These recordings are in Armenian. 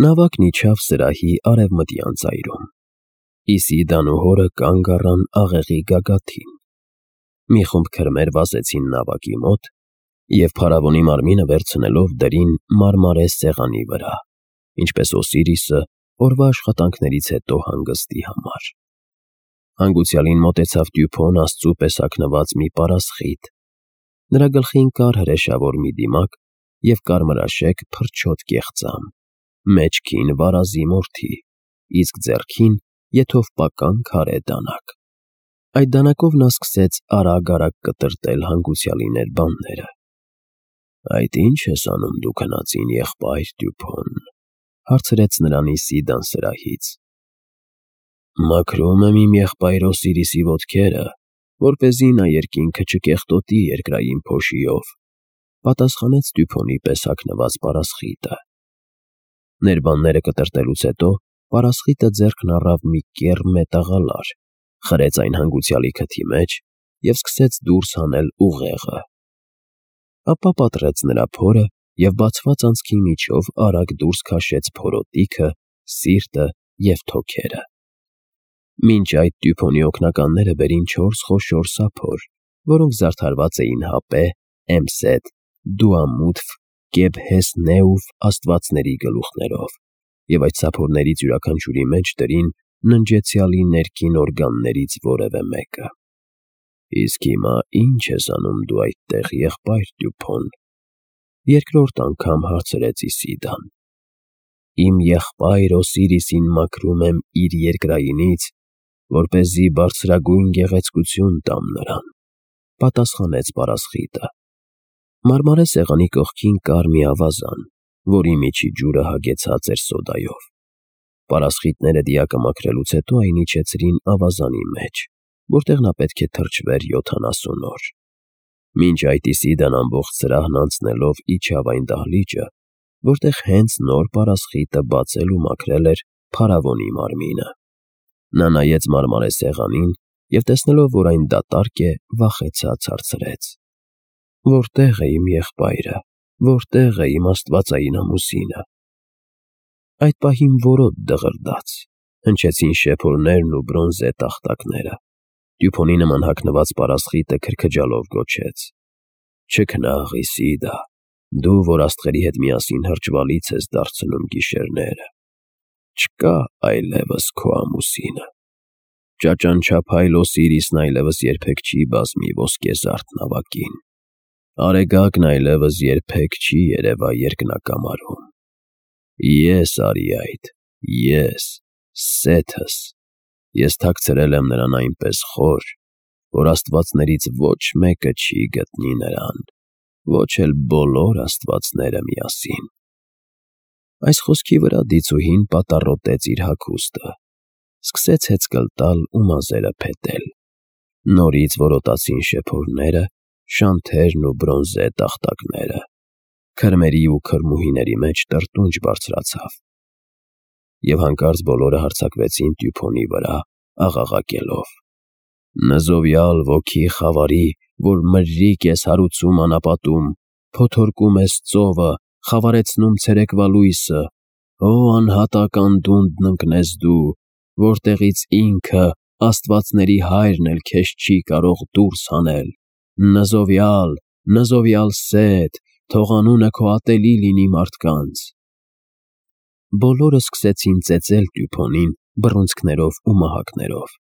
Նավակն իջավ սրահի արևմտյան ծայրում։ Իսիդան ու հորը կանգ առան աղեղի գագաթին։ Մի խումբ քրմեր վազեցին նավակի մոտ և փարավոնի մարմինը վերցնելով դրին մարմարե սեղանի վրա, ինչպես Օսիրիսը օրվա աշխատանքներից հետո հանգստի համար։ Հանգուցյալին մոտեցավ Դյուփոն աստծու պես հագնված մի պարասխիտ։ Նրա գլխին կար հրեշավոր մի դիմակ և կարմրաշեկ փրչոտ կեղծամ, մեջքին վարազի մորթի, իսկ ձեռքին եթովպական քարե դանակ։ Այդ դանակով նա սկսեց արագ կտրտել հանգուցյալի ներբանները։ «Այդ ի՞նչ ես անում դու քնածին եղբայր Դյուփոն», հարցրեց նրան Իսիդան սրահից։ «Մաքրում եմ իմ եղբայր Օսիրիսի ոտքերը, որպեսզի նա երկինքը չկեղտոտի երկրային փոշիով», պատասխանեց Դյուփոնի պես հագնված պարասխիտը։ Ներբանները կտրտելուց հետո պարասխիտը ձեռքն առավ մի կեռ մետաղալար, խրեց այն հանգուցյալի քթի մեջ և սկսեց դուրս հանել ուղեղը։ Ապա պատռեց նրա փորը և բացված անցքի միջով արագ դուրս քաշեց փորոտիքը, սիրտը և թոքերը։ Մինչ այդ Դյուփոնի օգնականները բերին 4 խոշոր սափոր, որոնք զարդարված էին հապե, էմսետ, դուամութֆ, կեբհեսնեուֆ աստվածների գլուխներով, և այդ սափորներից յուրաքանչյուրի մեջ դրին ննջեցյալի ներքին օրգաններից որևէ մեկը։ «Իսկ հիմա ի՞նչ ես անում դու այդտեղ, եղբայր Դյուփոն», երկրորդ անգամ հարցրեց Իսիդան։ «Իմ եղբայր Օսիրիսին մաքրում եմ իր երկրայինից, որպեսզի բարձրագույն գեղեցկություն տամ նրան», պատասխանեց պարասխիտը։ Մարմարե սեղանի կողքին կար մի ավազան, որի միջի ջուրը հագեցած էր սոդայով։ Պարասխիտները դիակը մաքրելուց հետո այն իջեցրին ավազանի մեջ, որտեղ նա պետք է թրջվեր 70 օր։ Մինչ այդ Իսիդան ամբողջ սրահն անցնելով իջավ այն դահլիճը, որտեղ հենց նոր պարասխիտը բացել ու մաքրել էր փարավոնի մարմինը։ Նա նայեց մարմարե սեղանին և տեսնելով, որ այն դատարկ է, վախեցած հարցրեց. «Որտե՞ղ է իմ եղբայրը, որտե՞ղ է իմ աստվածային ամուսինը»։ Այդ պահին որոտ դղրդաց, հնչեցին շեփորներն ու բրոնզե տախտակները։ Դյուփոնի նման հագնված պարասխիտը քրքջալով գոչեց. «Չքնաղ, Իսիդա, դու, որ աստղերի հետ միասին հրճվալից ես դարձնում գիշերները, չկա այլևս քո ամուսինը։ Ճաճանչափայլ Օսիրիսն այլևս երբեք չի բազմի ոսկեզարդ նավակին։ Արեգակն այլևս երբեք չի երևա երկնակամարում։ Ես արի այդ, ես, Սեթս, ես թաքցրել եմ նրան այնպես խոր, որ աստվածներից ոչ մեկը չի գտնի նրան, ոչ էլ բոլոր աստվածները միասին»։ Այս խոսքի վրա դիցուհին պատառոտեց իր հագուստը, սկսեց հեծկլ տալ ու մազերը փետել։ Նորից որոտացին շեփորները, շանթերն ու բրոնզե տախտակները։ Քրմերի ու քրմուհիների մեջ տրտունջ բարձրացավ։ Եվ հանկարծ բոլորը հարձակվեցին Դյուփոնի վրա, աղաղակելով. «Նզովյալ ոգի խավարի, որ մրրիկ ես հարուցում անապատում, փոթորկում ես ծովը, խավարեցնում ցերեկվա լույսը, ո անհատակ անդունդն ընկնես դու, որտեղից ինքը, աստվածների հայրն էլ քեզ չի կարող դուրս հանել, Նզովյալ, Նզովյալ Սեթ, թող անունը քո ատելի լինի մարդկանց»։ Բոլորը սկսեցին ծեծել Դյուփոնին բռունցքներով ու մահակներով,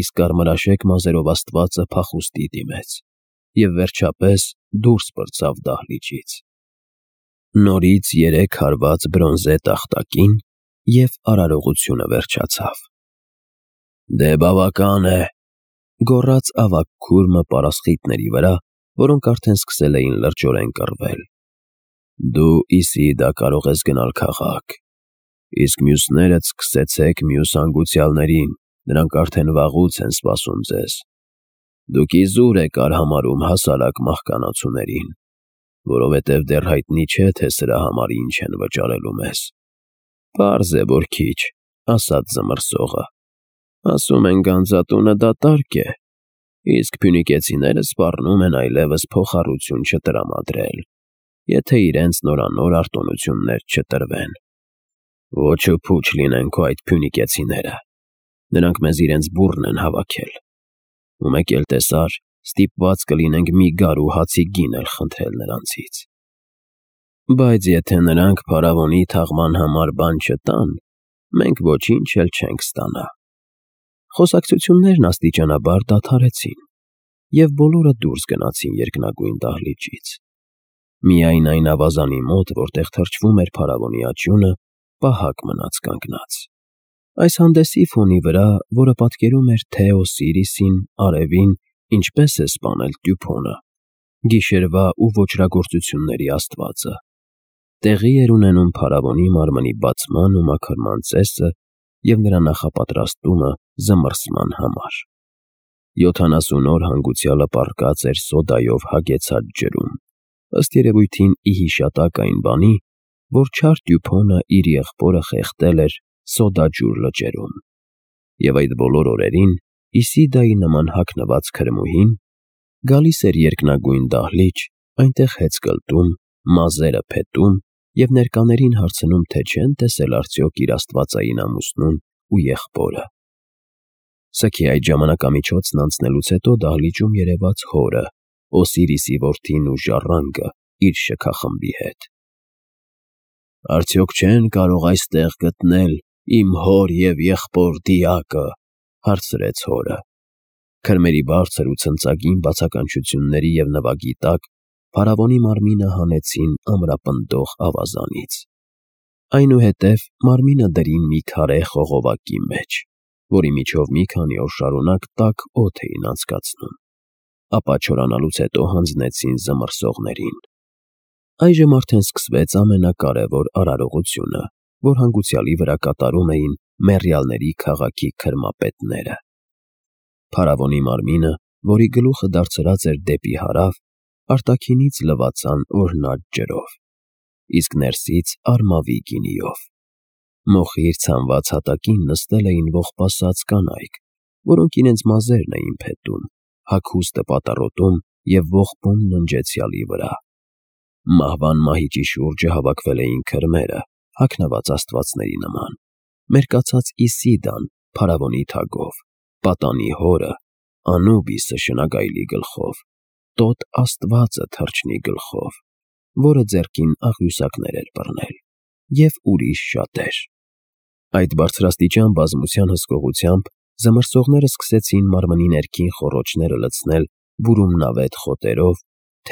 իսկ կարմրաշեկ մազերով աստվածը փախուստի դիմեց և վերջապես դուրս պրծավ դահլիճից։ Նորից 3 հարված բրոնզե տախտակին և արարողությունը վերջացավ։ «Դե բավական է», գոռաց ավագ քուրմը պարասխիտների վրա, որոնք արդեն սկսել էին լրջորեն կռվել։ «Դու, Իսիդա, կարող ես գնալ քաղաք, իսկ մյուսներդ սկսեցեք մյուս հանգուցյալներին, նրանք արդեն վաղուց են սպասում ձեզ։ Դուք իզուր եք արհամարհում հասարակ մահկանացուներին, որովհետև դեռ հայտնի չէ, թե սրա համար ինչ են վճարելու մեզ։ Պարզ է, որ քիչ, ասաց զմռսողը։ Ասում են գանձատունը դատարկ է, իսկ փյունիկեցիները սպառնում են այլևս փոխառություն չտրամադրել, եթե իրենց նորանոր արտոնություններ չտրվեն։ Ոչը փուչ լինեն քո այդ փյունիկեցիները, նրանք մեզ իրենց բուռն են հավաքել, ու մեկ էլ տեսար, ստիպված կլինենք մի գար ու հացի գին էլ խնդրել նրանցից։ Բայց եթե նրանք փարավոնի թաղման համար բան չտան, մենք ոչինչ էլ չենք ստանա։ Խոսակցություններն աստիճանաբար դադարեցին, և բոլորը դուրս գնացին երկնագույն դահլիճից։ Միայն այն ավազանի մոտ, որտեղ թրջվում էր փարավոնի աջունը, պահակ մնաց կանգնած։ Այս հանդեսի ֆոնի վրա, որը պատկերում էր թե Օսիրիսին, արևին, ինչպես է սպանել Տյուփոնը, գիշերվա ու ոճրագործությունների աստվածը, տեղի էր ունենում փարավոնի մարմնի բացման ու մաքրման ծեսը և նրա նախապատրաստումը զմռսման համար։ 70 օր հանգուցյալը պառկած էր սոդայով հագեցած ջրում, ըստ երևույթին ի հիշատակ այն բանի, որ չար Տյուփոնը իր եղբորը խեղդել էր սոդաջուր լճերում, և այդ բոլոր օրերին Իսիդայի նման հագնված քրմուհին գալիս էր երկնագույն դահլիճ, այնտեղ հեծ կլտում, մազերը փետում և ներկաներին հարցնում, թե չեն տեսել արդյոք իր աստվածային ամուսնուն ու եղբորը։ Սքի այդ ժամանակամիջոցն անցնելուց հետո դահլիճում երևաց հորը, Օսիրիսի որդին ու ժառանգը իր շքախմբի հետ։ «Արդյոք չեն կարող այստեղ գտնել իմ հոր և եղբոր դիակը», հարցրեց հորը։ Քրմերի բարձր ու ցնծագին բացականչությունների և նվագի տակ փարավոնի մարմինը հանեցին ամրապնդող ավազանից։ Այնուհետև մարմինը դրին մի քարե խողովակի մեջ, որի միջով մի քանի օր շարունակ տաք օդ էին անցկացնում, ապա չորանալուց հետո հանձնեցին զմռսողներին։ Այժմ արդեն սկսվեց ամենակարևոր արարողությունը, որ հանգուցյալի վրա կատարում էին մեռյալների քաղաքի քրմապետները։ Փարավոնի մարմինը, որի գլուխը դարձրած էր դեպի հարավ, արտաքինից լվացան օրհնած ջրով, իսկ ներսից արմավի գինիով։ Մոխիր ցանված հատակին նստել էին ողբասած կանայք, որոնք իրենց մազերն էին փետում, հագուստը պատառոտում և ողբում ննջեցյալի վրա։ Մահվան մահիճի շուրջը հավաքվել էին քրմերը, հագնված աստվածների նման, մերկացած Իսիդան փարավոնի թագով, պատանի հորը, Անուբիսը շնագայլի գլխով, տոտ աստվածը թռչնի գլխով, որը ձեռքին աղյուսակներ էր բռնել, և ուրիշ շատեր։ Այդ բարձրաստիճան բազմության հսկողությամբ զմռսողները սկսեցին մարմնի ներքին խոռոչները լցնել բուրումնավետ խոտերով,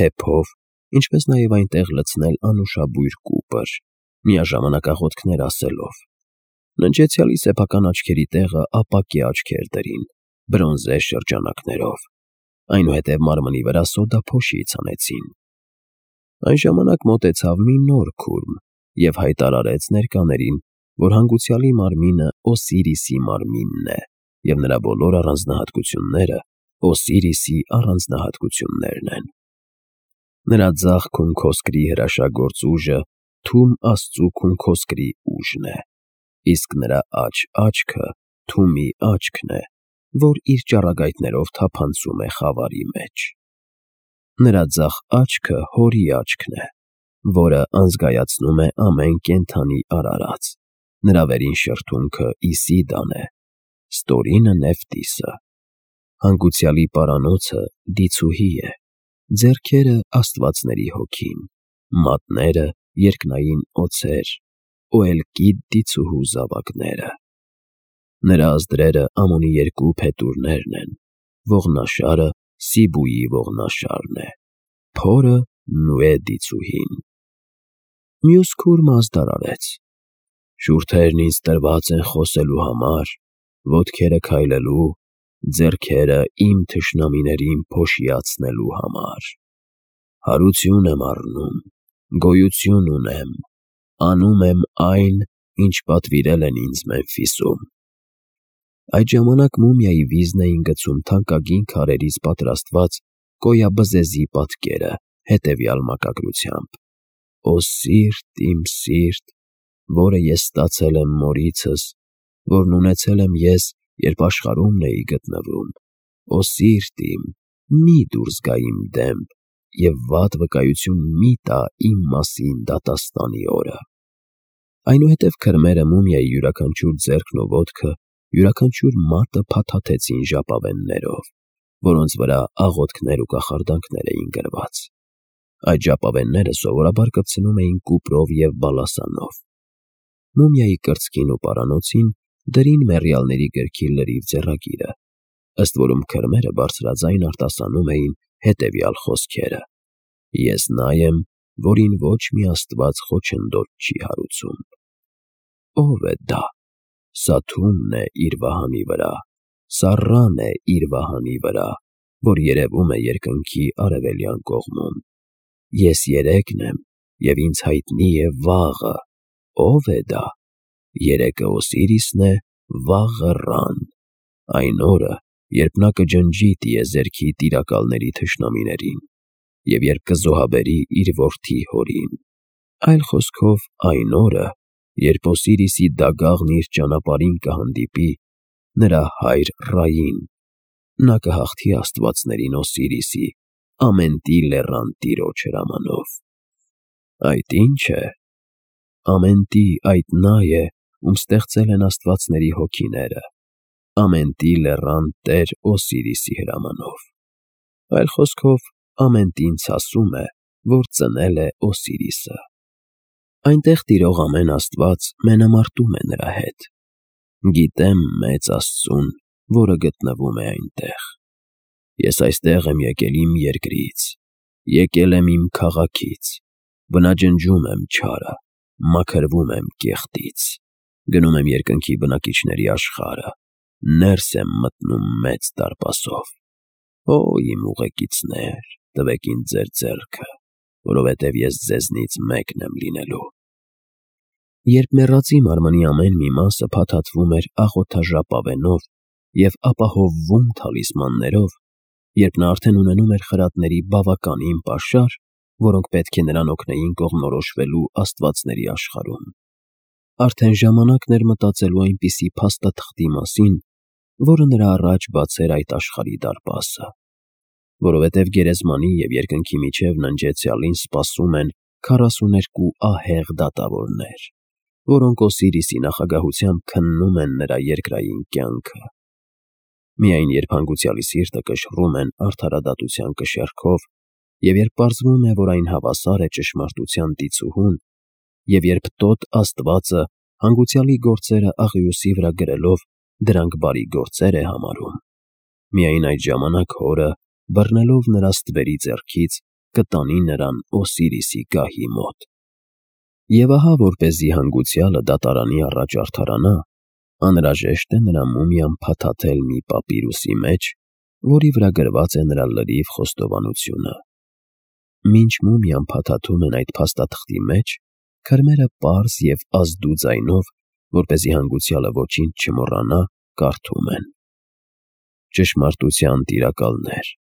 թեփով, ինչպես նաև այնտեղ լցնել անուշաբույր կուպր, միաժամանակ աղոթքներ ասելով։ Ննջեցյալի սեփական աչքերի տեղը ապակե աչքեր դրին, բրոնզե շրջանակներով, այնուհետև մարմնի վրա սոդափոշի ցանեցին։ Այն ժամանակ մոտեցավ մի նոր քուրմ և հայտարարեց ներկաներին, որ հանգուցյալի մարմինը Օսիրիսի մարմինն է, և նրա բոլոր առանձնահատկությունները Օսիրիսի առանձնահատկություններն են։ Նրա ձախ քունքոսկրի հրաշագործ ուժը Թում աստծու քունքոսկրի ուժն է, իսկ նրա աջ աչքը Թումի աչքն է, որ իր ճառագայթներով թափանցում է խավարի մեջ։ Նրա ձախ աչքը հորի աչքն է, որը անզգայացնում է ամեն կենդանի արարած, նրա վերին շրթունքը Իսիդան է, ստորինը Նեֆտիսը, հանգուցյալի պարանոցը դիցուհի է, ձեռքերը աստվածների հոգին, մատները երկնային օձեր, Օելկիդ դիցուհու զավակները։ Նրա ազդրերը Ամոնի երկու փետուրներն են, ողնաշարը Սիբուի ողնաշարն է, փորը Նուե դիցուհին։ Մյուս քուրմը ազդարարեց. շուրթերն ինձ տրված են խոսելու համար, ոտքերը քայլելու, ձեռքերը իմ թշնամիներին փոշիացնելու համար։ Հարություն եմ առնում, գոյություն ունեմ, անում եմ այն, ինչ պատվիրել են ինձ Մեմֆիսում։ Այդ ժամանակ մումիայի վիզն էին գցում թանկագին քարերից պատրաստված կոյաբզեզի պատկերը հետևյալ մակագրությամբ. «Օ սիրտ, իմ սիրտ, որը ես ստացել եմ մորիցս, որն ունեցել եմ ես, երբ աշխարհումն էի գտնվում, Օ սիրտ իմ, մի դուրս գա իմ դեմք և վատ վկայություն մի տա իմ մասին դատաստանի օրը»։ Այնուհետև քրմերը մումիայի յուրաքանչյուր ձեռքն ու ոտքը, յուրաքանչյուր մատը փաթաթեցին ժապավեններով, որոնց վրա աղոթքներ ու կախարդանքներ էին գրված։ Այդ ժապավենները սովորաբար կպցնում էին կուպրով և բալասանով։ Մումիայի կրծքին ու պարանոցին դրին մեռյալների գրքի լրիվ ձեռագիրը, ըստ որում քրմերը բարձրաձայն արտասանում էին հետևյալ խոսքերը. «Ես նա եմ, որին ոչ մի աստված խոչընդոտ չի հարուցում»։ Ո՞վ է դա։ Սաթումն է իր վահանի վրա, Սառան է իր վահանի վրա, որ երևում է երկնքի արևելյան կողմում։ Ես երեքն եմ, և ինձ հայտնի է վաղը։ Ո՞վ է դա։ Երեկը Օսիրիսն է, վաղը Ռան, այն օրը, երբ նա կջնջի տիեզերքի տիրակալների թշնամիներին, և երբ կզոհաբերի իր որդի Հորին։ Այլ խոսքով, այն օրը, երբ Օսիրիսի դագաղն իր ճանապարհին կհանդիպի նրա հայր Ռային, նա կհաղթի աստվածներին Օսիրիսի, ամենտի լեռան տիրոջ հրամանով։ Այդ ի՞նչ է։ Ամենտի այդ նա է, ում ստեղծել են աստվածների հոգիները, ամենտի լեռան տեր Օսիրիսի հրամանով։ Այլ խոսքով, ամենտին ցասում է, որ ծնել է Օսիրիսը։ Այնտեղ տիրող ամեն աստված մենամարտում է նրա հետ։ Գիտեմ մեծ Աստծուն, որը գտնվում է այնտեղ։ Ես այստեղ եմ եկել իմ երկրից, եկել եմ իմ քաղաքից, բնաջնջում եմ չարը, մաքրվում եմ կեղտից, գնում եմ երկնքի բնակիչների աշխարհը, ներս եմ մտնում մեծ դարպասով։ Օ, իմ ուղեկիցներ, տվեք ինձ ձեր ձեռքը, որովհետև ես ձեզնից մեկն եմ լինելու։ Երբ մեռածի մարմնի ամեն մի մասը փաթաթվում էր աղոթաժապավենով և ապահովվում թալիսմաններով, երբ նա արդեն ունենում էր խրատների բավականին պաշար, որոնք պետք է նրան օգնեին կողմնորոշվելու աստվածների աշխարհում, արդեն ժամանակն էր մտածելու այնպիսի փաստաթղթի մասին, որը նրա առաջ բացեր այդ աշխարհի դարպասը, որովհետև գերեզմանի և երկնքի միջև ննջեցյալին սպասում են 42 ահեղ դատավորներ, որոնք Օսիրիսի նախագահությամբ քննում են նրա երկրային կյանքը։ Միայն երբ հանգուցյալի սիրտը կշռում են արդարադատության կշեռքով, և երբ պարզվում է, որ այն հավասար է ճշմարտության տիծուհուն, և երբ տոտ Աստվածը հանգուցյալի գործերը աղյուսի վրա գրելով դրանք բարի գործեր է համարում, միայն այդ ժամանակ հորը, բռնելով նրա ստվերի ձեռքից, կտանի նրան Օսիրիսի գահի մոտ։ Եվ ահա, որպեսզի հանգուցյալը դատարանի առաջ արդարանա, անհրաժեշտ է նրա մումիան փաթաթել մի պապիրուսի մեջ, որի վրա գրված է նրա լրիվ խոստովանությունը։ Մինչ մումիան փաթաթում են այդ փաստաթղթի մեջ, քրմերը պարզ և ազդու ձայնով, որպեսզի հանգուցյալը ոչինչ չմոռանա, կարդում են. Ճշմարտության տիրակալներ,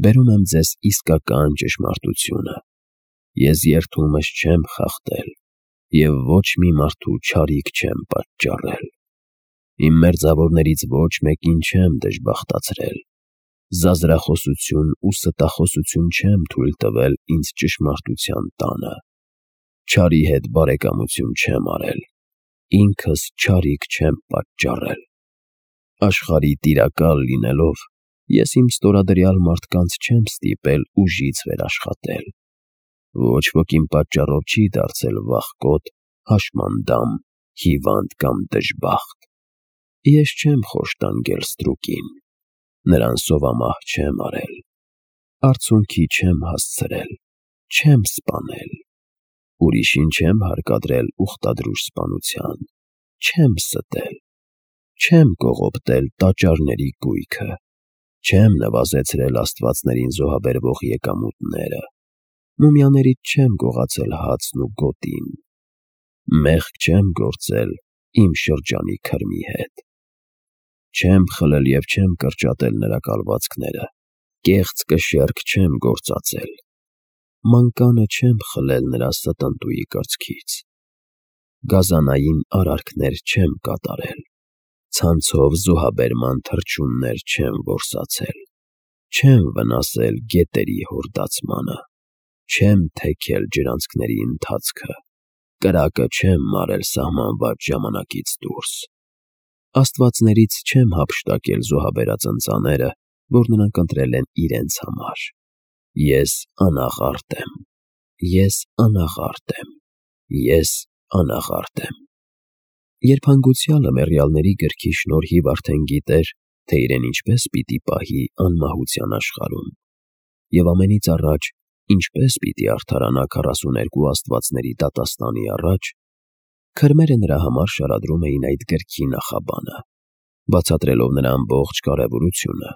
բերում եմ ձեզ իսկական ճշմարտությունը։ Ես երդումս չեմ խախտել և ոչ մի մարդու չարիք չեմ պատճառել։ Իմ մերձավորներից ոչ մեկին չեմ դժբախտացրել, զազրախոսություն ու ստախոսություն չեմ թույլ տվել ինձ ճշմարտության տանը, չարի հետ բարեկամություն չեմ արել, ինքս չարիք չեմ պատճառել։ Աշխարհի տիրակալ լինելով, ես իմ ստորադրյալ մարդկանց չեմ ստիպել ուժից վերաշխատել։ Ոչ ոք իմ պատճառով չի դարձել վախկոտ, հաշմանդամ, հիվանդ կամ դժբախտ։ Ես չեմ խոշտանգել ստրուկին, նրան սովամահ չեմ արել, արցունքի չեմ հասցրել, չեմ սպանել, ուրիշին չեմ հարկադրել ուխտադրուժ սպանության, չեմ ստել, չեմ կողոպտել տաճարների կույքը, չեմ նվազեցրել աստվածներին զոհաբերվող եկամուտները, մումիաներից չեմ գողացել հացն ու գոտին, մեղք չեմ գործել իմ շրջանի քրմի հետ, չեմ խլել և չեմ կրճատել նրա կալվածքները, կեղծ կշեռք չեմ գործածել, մանկանը չեմ խլել նրա ստնտուի կրծքից, գազանային արարքներ չեմ կատարել, ցանցով զոհաբերման թռչուններ չեմ որսացել, չեմ վնասել գետերի հորդացմանը, չեմ թեքել ջրանցքների ընթացքը, կրակը չեմ մարել սահմանված ժամանակից դուրս։ Աստվածներից չեմ հափշտակել զոհաբերած ընծաները, որ նրանք ընտրել են իրենց համար։ Ես անաղարտ եմ։ Ես անաղարտ եմ։ Ես անաղարտ եմ։ Երբ հանգուցյալը մեռյալների գրքի շնորհիվ արդեն գիտեր, թե իրեն ինչպես պիտի պահի անմահության աշխարհում, և ամենից առաջ ինչպես պիտի արդարանա 42 աստվածների դատաստանի առաջ, քրմերը նրա համար շարադրում էին այդ գրքի նախաբանը, բացատրելով նրա ամբողջ կարևորությունը։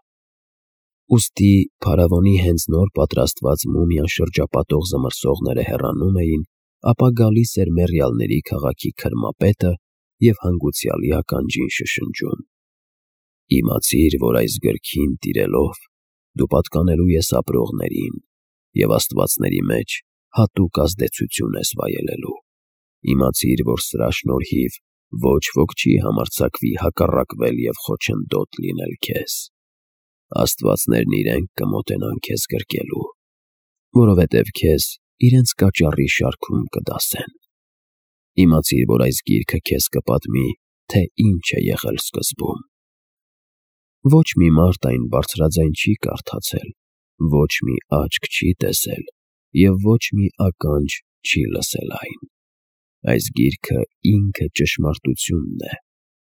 Ուստի փարավոնի հենց նոր պատրաստված մումիան շրջապատող զմռսողները հեռանում էին, ապա գալիս էր մեռյալների քաղաքի քրմապետը և հանգուցյալի ականջին շշնջում. «Իմացիր, որ այս գրքին տիրելով դու պատկանելու ես ապրողներին և աստվածների մեջ հատուկ ազդեցություն ես վայելելու։ Իմացիր, որ սրա շնորհիվ ոչ ոք չի համարձակվի հակառակվել և խոչընդոտ լինել քեզ։ Աստվածներն իրենք կմոտենան քեզ գրկելու, որովհետև քեզ իրենց կաճառի շարքում կդասեն։ Իմացիր, որ այս գիրքը քեզ կպատմի, թե ինչ է եղել սկզբում»։ Ոչ մի մարդ այն բարձրաձայն չի կարդացել, ոչ մի աչք չի տեսել և ոչ մի ականջ չի լսել այն։ Այս գիրքը ինքը ճշմարտությունն է,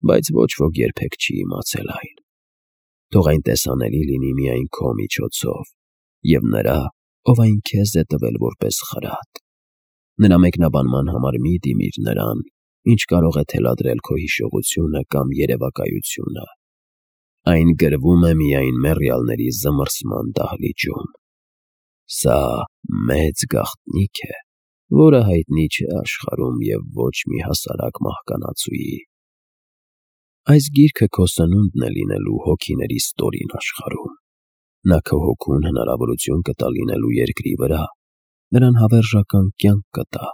բայց ոչ ոք երբեք չի իմացել այն։ Թող այն տեսանելի լինի միայն քո միջոցով և նրա, ով այն քեզ է տվել որպես խրատ։ Նրա մեկնաբանման համար մի դիմիր նրան, ինչ կարող է թելադրել քո հիշողությունը կամ երևակայությունը։ Այն գրվում է միայն մեռյալների զմռսման դահլիճում։ Սա մեծ գաղտնիք է, որը հայտնի չէ աշխարհում և ոչ մի հասարակ մահկանացուի։ Այս գիրքը քո սնունդն է լինելու հոգիների ստորին աշխարհում։ Նա քո հոգուն հնարավորություն կտա լինելու երկրի վրա, նրան հավերժական կյանք կտա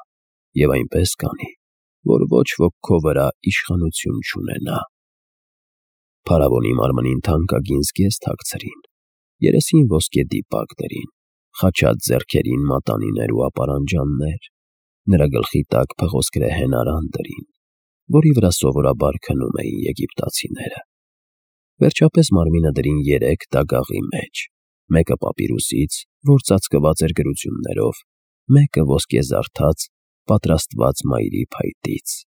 և այնպես կանի, որ ոչ ոք քո վրա իշխանություն չունենա։ Փարավոնի մարմնին թանկագին զգեստ հագցրին, երեսին ոսկե դիպակ դրին, խաչած ձեռքերին մատանիներ ու ապարանջաններ, նրա գլխի տակ փղոսկրեհեն արան դրին, որի վրա սովորաբար քնում էին եգիպտացիները։ Վերջապես մարմինը դրին 3 դագաղի մեջ, մեկը պապիրուսից, որ ծածկված էր գրություններով, մեկը ոսկեզարդած, պատրաստված մայրի փայտից,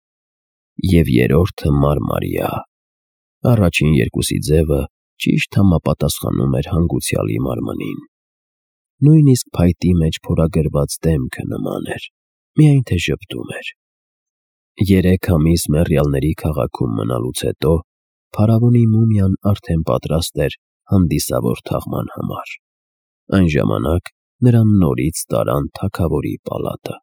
և երրորդը մարմարյա։ Առաջին երկուսի ձևը ճիշտ համապատասխանում էր հանգուցյալի մարմնին։ Նույնիսկ փայտի մեջ փորագրված դեմքը նման էր, միայն թե ժպտում էր։ 3 ամիս մեռյալների քաղաքում մնալուց հետո փարավոնի մումիան արդեն պատրաստ էր հանդիսավոր թաղման համար։ Այն ժամանակ նրան նորից տարան թագավորի պալատը։